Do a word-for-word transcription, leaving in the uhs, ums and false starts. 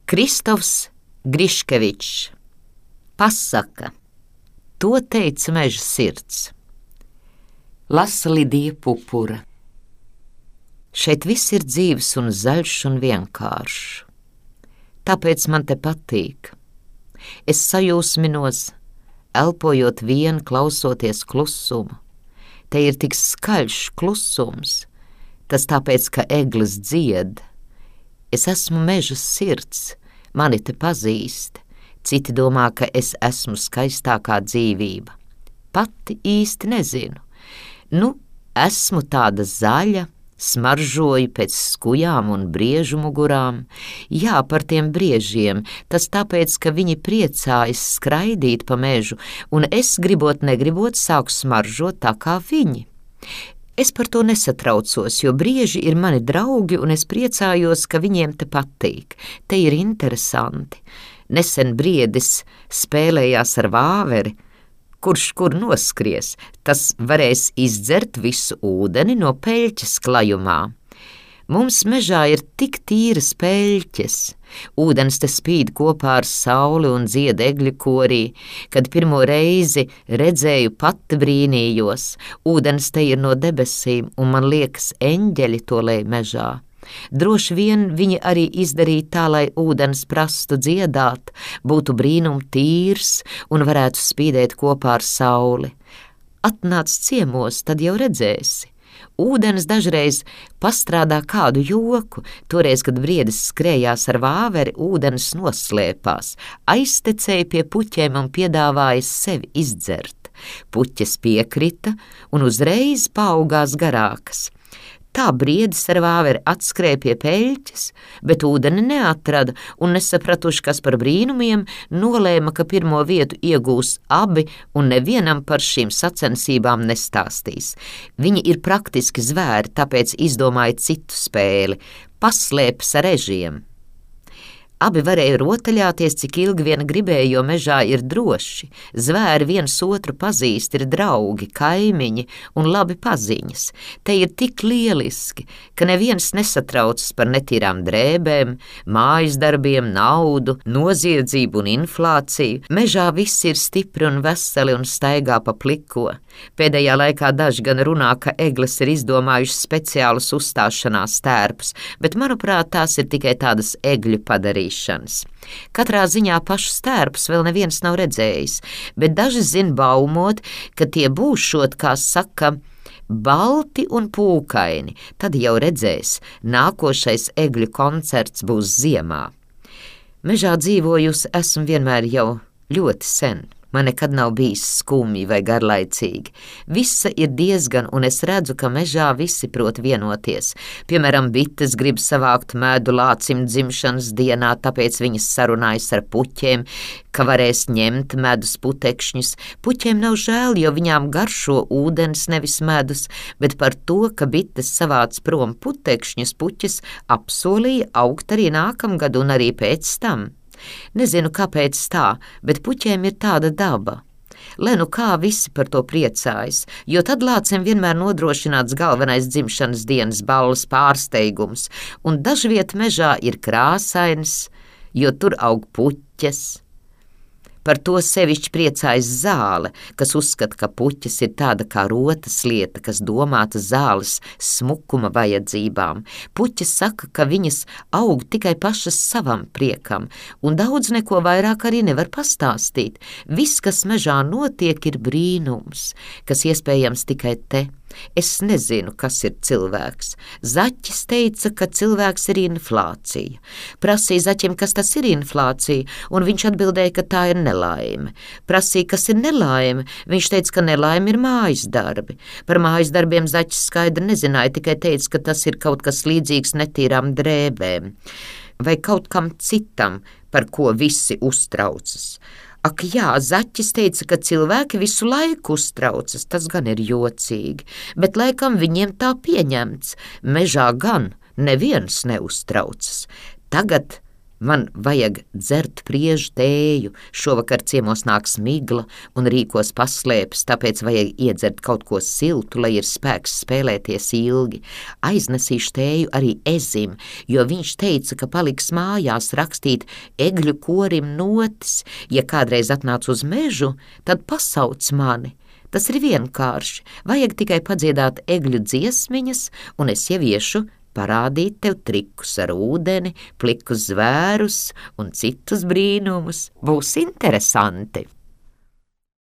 Kristofs Griškevičs. Pasaka. To teica meža sirds. Lasa Lidija Pupura. Šeit viss ir dzīves un zaļš un vienkāršs. Tāpēc man te patīk. Es sajūsminos, elpojot vien, klausoties klusumu. Te ir tik skaļš klusums, tas tāpēc, ka eglis dzied. Es esmu meža sirds, mani te pazīst, citi domā, ka es esmu skaistākā dzīvība. Pati īsti nezinu. Nu, esmu tāda zaļa, smaržoju pēc skujām un briežu mugurām. Jā, par tiem briežiem, tas tāpēc, ka viņi priecājas skraidīt pa mežu, un es, gribot negribot, sāku smaržot tā kā viņi. Es par to nesatraucos, jo brieži ir mani draugi, un es priecājos, ka viņiem te patīk. Te ir interesanti. Nesen briedis spēlējās ar vāveri, kurš kur noskries, tas varēs izdzert visu ūdeni no peļķes klajumā. Mums mežā ir tik tīras peļķes, ūdens te spīd kopā ar sauli un dzied egļu korī. Kad pirmo reizi redzēju, pati brīnījos, ūdens te ir no debesīm, un man liekas, eņģeļi to lej mežā. Droši vien viņi arī izdarīja tā, lai ūdens prastu dziedāt, būtu brīnum tīrs un varētu spīdēt kopā ar sauli. Atnāc ciemos, tad jau redzēsi. Ūdens dažreiz pastrādā kādu joku, toreiz, kad briedis skrējās ar vāveri, ūdens noslēpās, aiztecēja pie puķiem un piedāvāja sevi izdzert. Puķes piekrita un uzreiz paaugās garākas. Tā briedis ar vāveri atskrēja pie peļķes, bet ūdeni neatrada un nesapratuši, kas par brīnumiem, nolēma, ka pirmo vietu iegūs abi un nevienam par šīm sacensībām nestāstīs. Viņi ir praktiski zvēri, tāpēc izdomāja citu spēli – paslēpes ar ežiem. Abi varēja rotaļāties, cik ilgi vien gribēja, jo mežā ir droši. Zvēri viens otru pazīst, ir draugi, kaimiņi un labi paziņas. Te ir tik lieliski, ka neviens nesatraucas par netīrām drēbēm, mājas darbiem, naudu, noziedzību un inflāciju. Mežā viss ir stipri un veseli un staigā pa pliko. Pēdējā laikā daži gan runā, ka egles ir izdomājušas speciālus uzstāšanās tērpus, bet, manuprāt, tās ir tikai tādas egļu padarīšanas. Katrā ziņā pašus tērpus vēl neviens nav redzējis, bet daži zin baumot, ka tie būšot, kā saka, balti un pūkaini. Tad jau redzēs, nākošais egļu koncerts būs ziemā. Mežā dzīvojusi esmu vienmēr jau ļoti sen. Man nekad nav bijis skumji vai garlaicīgi. Visa ir diezgan, un es redzu, ka mežā visi prot vienoties. Piemēram, bites grib savākt medu lācim dzimšanas dienā, tāpēc viņas sarunājas ar puķiem, ka varēs ņemt medus putekšņus. Puķiem nav žēl, jo viņām garšo ūdens nevis medus, bet par to, ka bites savāc prom putekšņus, puķes apsolīja augt arī nākamgad un arī pēc tam. Nezinu, kāpēc tā, bet puķiem ir tāda daba. Lai nu kā visi par to priecājas, jo tad lācim vienmēr nodrošināts galvenais dzimšanas dienas balles pārsteigums, un dažviet mežā ir krāsains, jo tur aug puķes. Par to sevišķi priecājas zāle, kas uzskata, ka puķes ir tāda kā rotas lieta, kas domāta zāles smukuma vajadzībām. Puķes saka, ka viņas aug tikai pašas savam priekam, un daudz neko vairāk arī nevar pastāstīt. Viss, kas mežā notiek, ir brīnums, kas iespējams tikai te. Es nezinu, kas ir cilvēks. Zaķis teica, ka cilvēks ir inflācija. Prasīja zaķim, kas tas ir inflācija, un viņš atbildēja, ka tā ir nelaime. Prasīja, kas ir nelaime, viņš teica, ka nelaime ir mājas darbi. Par mājas darbiem zaķis skaidri nezināja, tikai teica, ka tas ir kaut kas līdzīgs netīrām drēbēm vai kaut kam citam, par ko visi uztraucas. Ak jā, zaķis teica, ka cilvēki visu laiku uztraucas, tas gan ir jocīgi, bet laikam viņiem tā pieņemts. Mežā gan neviens neuztraucas. Tagad Man vajag dzert priežu tēju, šovakar ciemos nāks migla un rīkos paslēpes, tāpēc vajag iedzert kaut ko siltu, lai ir spēks spēlēties ilgi. Aiznesīšu tēju arī Ezim, jo viņš teica, ka paliks mājās rakstīt egļu korim notis. Ja kādreiz atnāc uz mežu, tad pasauc mani. Tas ir vienkārši, vajag tikai padziedāt egļu dziesmiņas, un es jau iešu parādīt tev trikus ar ūdeni, plikus zvērus un citus brīnumus. Būs interesanti!